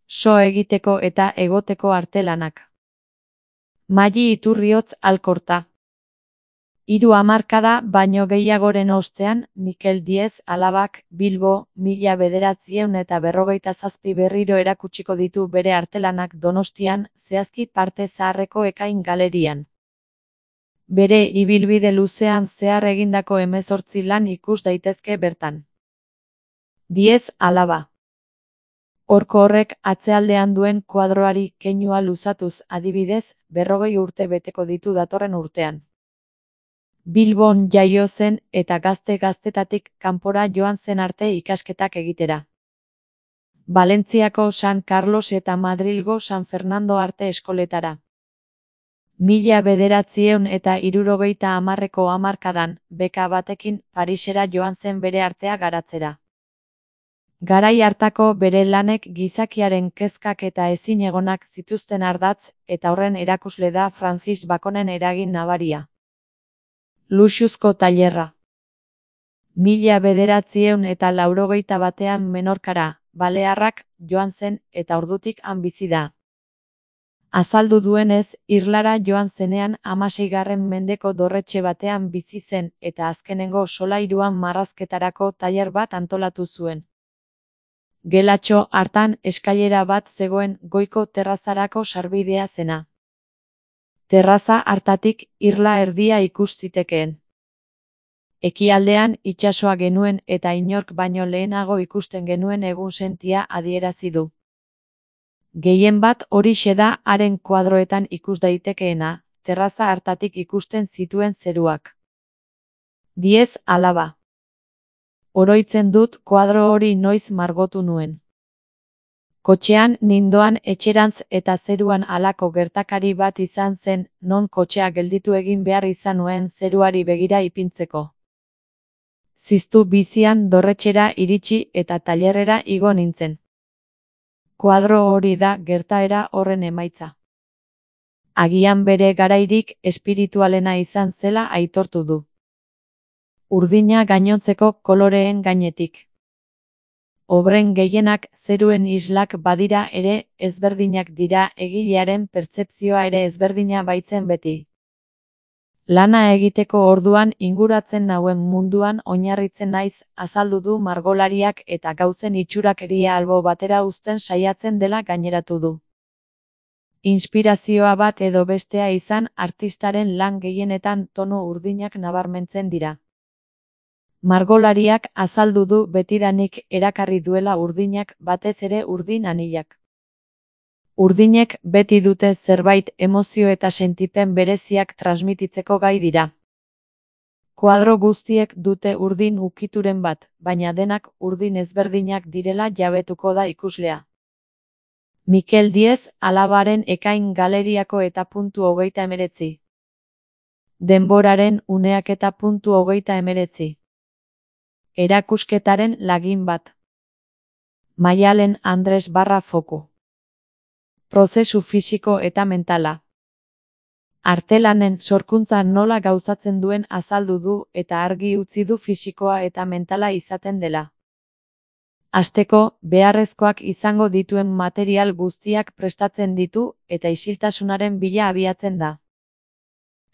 so egiteko eta egoteko artelanak. Mali Iturriotz Alkorta. 3 hamarkada baino gehiagoren ostean, Mikel Diez Alabak Bilbo 1957 berriro erakutsiko ditu bere artelanak Donostian, zehazki Parte Zaharreko Ekain galerian. Bere ibilbide luzean zehar egindako 18 lan ikus daitezke bertan. Diez Alaba. Horko horrek atzealdean duen kuadroari keinua luzatuz adibidez, 40 urte beteko ditu datorren urtean. Bilbon jaio zen eta gaztetatik kanpora joan zen arte ikasketak egitera. Valentziako San Carlos eta Madrilgo San Fernando arte eskoletara. 1970ko hamarkadan, beka batekin Parisera joan zen bere artea garatzera. Garai hartako bere lanek gizakiaren kezkak eta ezinegonak zituzten ardatz, eta horren erakusle da Francis Baconen eragin nabaria. Luxuzko tailerra. 1981 Menorkara, Balearrak, joan zen eta ordutik han bizi da. Azaldu duenez, Irlara joan zenean 16. mendeko dorretxe batean bizi zen eta azkenengo solairuan marrazketarako tailer bat antolatu zuen. Gelatxo hartan eskailera bat zegoen goiko terrazarako sarbidea zena. Terraza hartatik irla erdia ikus zitekeen. Ekialdean itsasoa genuen eta inork baino lehenago ikusten genuen egunsentia adierazi du. Gehienbat horixe da haren kuadroetan ikus daitekeena, terraza hartatik ikusten zituen zeruak. Diez Alaba. Oroitzen dut kuadro hori noiz margotu nuen. Kotxean nindoan etxerantz eta zeruan halako gertakari bat izan zen, non kotxea gelditu egin behar izan nuen zeruari begira ipintzeko. Ziztu bizian dorretxera iritsi eta tailerrera igo nintzen. Kuadro hori da gertaera horren emaitza. Agian bere garairik espiritualena izan zela aitortu du. Urdina gainontzeko koloreen gainetik. Obren gehienak zeruen islak badira ere ezberdinak dira egilearen pertzepzioa ere ezberdina baitzen beti. Lana egiteko orduan inguratzen nauen munduan oinarritzen naiz, azaldu du margolariak eta gauzen itxurakeria albo batera uzten saiatzen dela gaineratu du. Inspirazioa bat edo bestea izan artistaren lan gehienetan tonu urdinak nabarmentzen dira. Margolariak azaldu du betidanik erakarri duela urdinak batez ere urdin anilak. Urdinek beti dute zerbait emozio eta sentipen bereziak transmititzeko gai dira. Kuadro guztiek dute urdin ukituren bat, baina denak urdin ezberdinak direla jabetuko da ikuslea. Mikel Diez Alabaren Ekain galeriako eta .39. Denboraren uneak eta .39. Erakusketaren lagin bat. Maialen Andres Foku. Prozesu fisiko eta mentala. Artelanen sorkuntza nola gauzatzen duen azaldu du eta argi utzi du fisikoa eta mentala izaten dela. Hasteko, beharrezkoak izango dituen material guztiak prestatzen ditu eta isiltasunaren bila abiatzen da.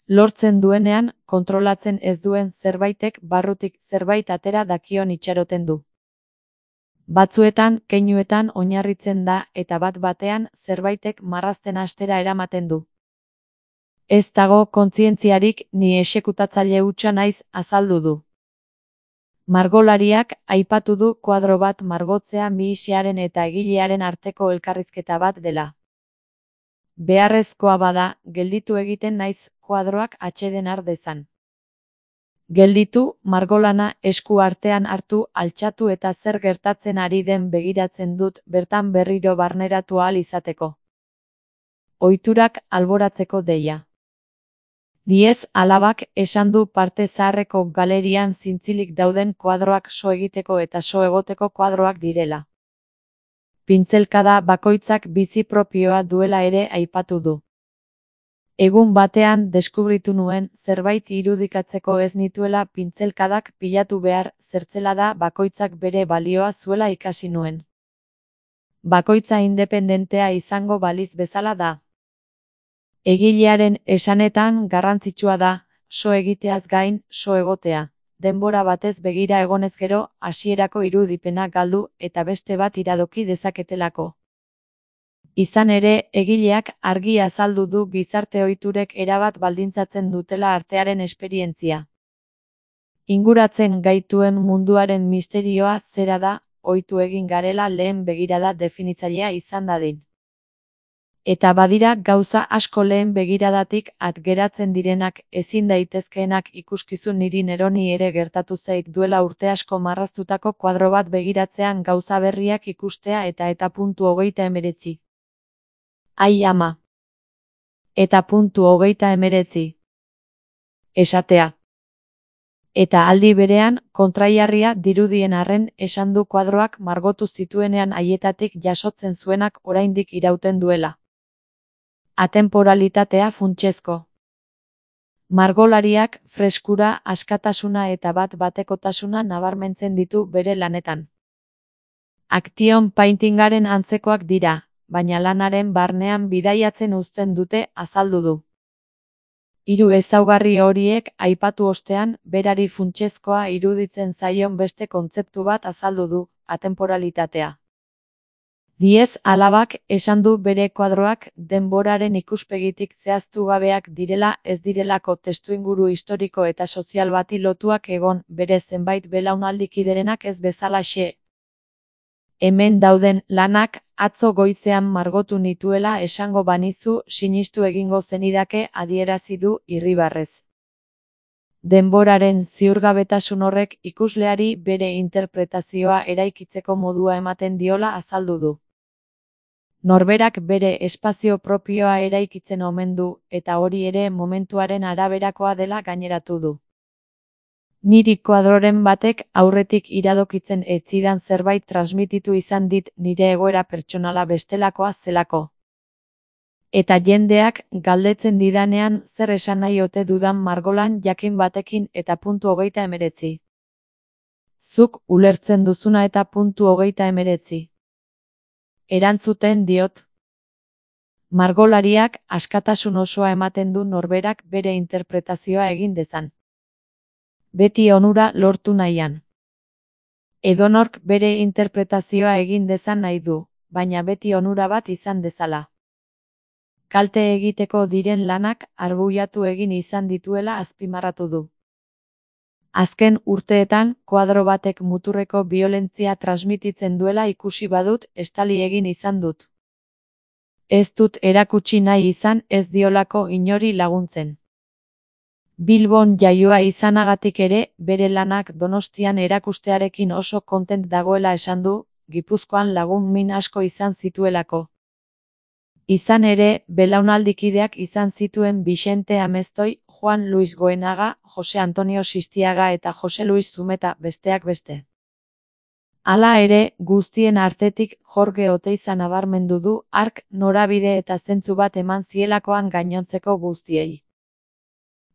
Lortzen duenean, kontrolatzen ez duen zerbaitek barrutik zerbait atera dakion itxaroten du. Batzuetan, keinuetan oinarritzen da eta bat-batean zerbaitek marrazten hastera eramaten du. Ez dago kontzientziarik ni exekutatzaile hutsa naiz azaldu du. Margolariak aipatu du kuadro bat margotzea mihisearen eta egilearen arteko elkarrizketa bat dela. Beharrezkoa bada, gelditu egiten naiz kuadroak atseden har dezan. Gelditu, margolana esku artean hartu, altxatu eta zer gertatzen ari den begiratzen dut bertan berriro barneratu ahal izateko. Ohiturak alboratzeko deia. Diez Alabak esan du Parte Zaharreko galerian zintzilik dauden kuadroak so egiteko eta so egoteko kuadroak direla. Pintzelkada bakoitzak bizi propioa duela ere aipatu du. Egun batean deskubritu nuen zerbait irudikatzeko ez nituela pintzelkadak pilatu behar, zertzelada bakoitzak bere balioa zuela ikasi nuen. bakoitza independentea izango baliz bezala da. Egilearen esanetan garrantzitsua da, so egiteaz gain, so egotea. Denbora batez begira egonez gero, hasierako irudipena galdu eta beste bat iradoki dezaketelako. Izan ere, egileak argi azaldu du gizarte ohiturek erabat baldintzatzen dutela artearen esperientzia. Inguratzen gaituen munduaren misterioa zera da, ohitu egin garela lehen begirada definitzailea izan dadin. Eta badira gauza asko lehen begiradatik at geratzen direnak, ezin daitezkeenak ikuskizun niri neroni ere gertatu zait duela urte asko marraztutako kuadro bat begiratzean gauza berriak ikustea eta puntu 39. Ai ama. Eta puntu 39. Esatea. Eta aldi berean, kontraiarria dirudien arren esan du kuadroak margotu zituenean haietatik jasotzen zuenak oraindik irauten duela. Atemporalitatea funtsezko. Margolariak freskura, askatasuna eta bat-batekotasuna nabarmentzen ditu bere lanetan. Action paintingaren antzekoak dira, baina lanaren barnean bidaiatzen uzten dute azaldu du. Hiru ezaugarri horiek aipatu ostean, berari funtsezkoa iruditzen zaion beste kontzeptu bat azaldu du, atemporalitatea. Diez alabak esan du bere kuadroak denboraren ikuspegitik zehaztu gabeak direla ez direlako testuinguru historiko eta sozial bati lotuak egon bere zenbait belaunaldikiderenak ez bezalaxe. Hemen dauden lanak atzo goizean margotu nituela esango banizu sinistu egingo zenidake adierazi du irribarrez. Denboraren ziurgabetasun horrek ikusleari bere interpretazioa eraikitzeko modua ematen diola azaldu du. Norberak bere espazio propioa eraikitzen omen du, eta hori ere momentuaren araberakoa dela gaineratu du. Niri kuadroren batek aurretik iradokitzen ez zidan zerbait transmititu izan dit nire egoera pertsonala bestelakoa zelako. Eta jendeak galdetzen didanean zer esan nahi ote dudan margolan jakin batekin eta puntu 39. Zuk ulertzen duzuna eta puntu 39. Erantzuten diot. Margolariak askatasun osoa ematen du norberak bere interpretazioa egin dezan. Beti onura lortu nahian. Edonork bere interpretazioa egin dezan nahi du, baina beti onura bat izan dezala. Kalte egiteko diren lanak arbuiatu egin izan dituela azpimarratu du. Azken urteetan, kuadro batek muturreko biolentzia transmititzen duela ikusi badut, estali egin izan dut. Ez dut erakutsi nahi izan ez diolako inori laguntzen. Bilbon jaioa izanagatik ere, bere lanak Donostian erakustearekin oso kontent dagoela esan du, Gipuzkoan lagun min asko izan zituelako. Izan ere, belaunaldikideak izan zituen Bixente Ameztoi, Juan Luis Goenaga, Jose Antonio Sistiaga eta Jose Luis Zumeta besteak beste. Hala ere, guztien artetik Jorge Oteiza nabarmendu du hark norabide eta zentzu bat eman zielakoan gainontzeko guztiei.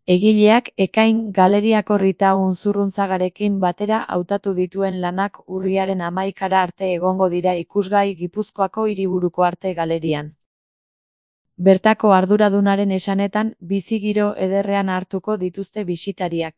Egileak Ekain galeriako Rita Unzurrunzagarekin batera hautatu dituen lanak urriaren 11 arte egongo dira ikusgai Gipuzkoako Hiriburuko Arte Galerian. Bertako arduradunaren esanetan, bizigiro ederrean hartuko dituzte bisitariak.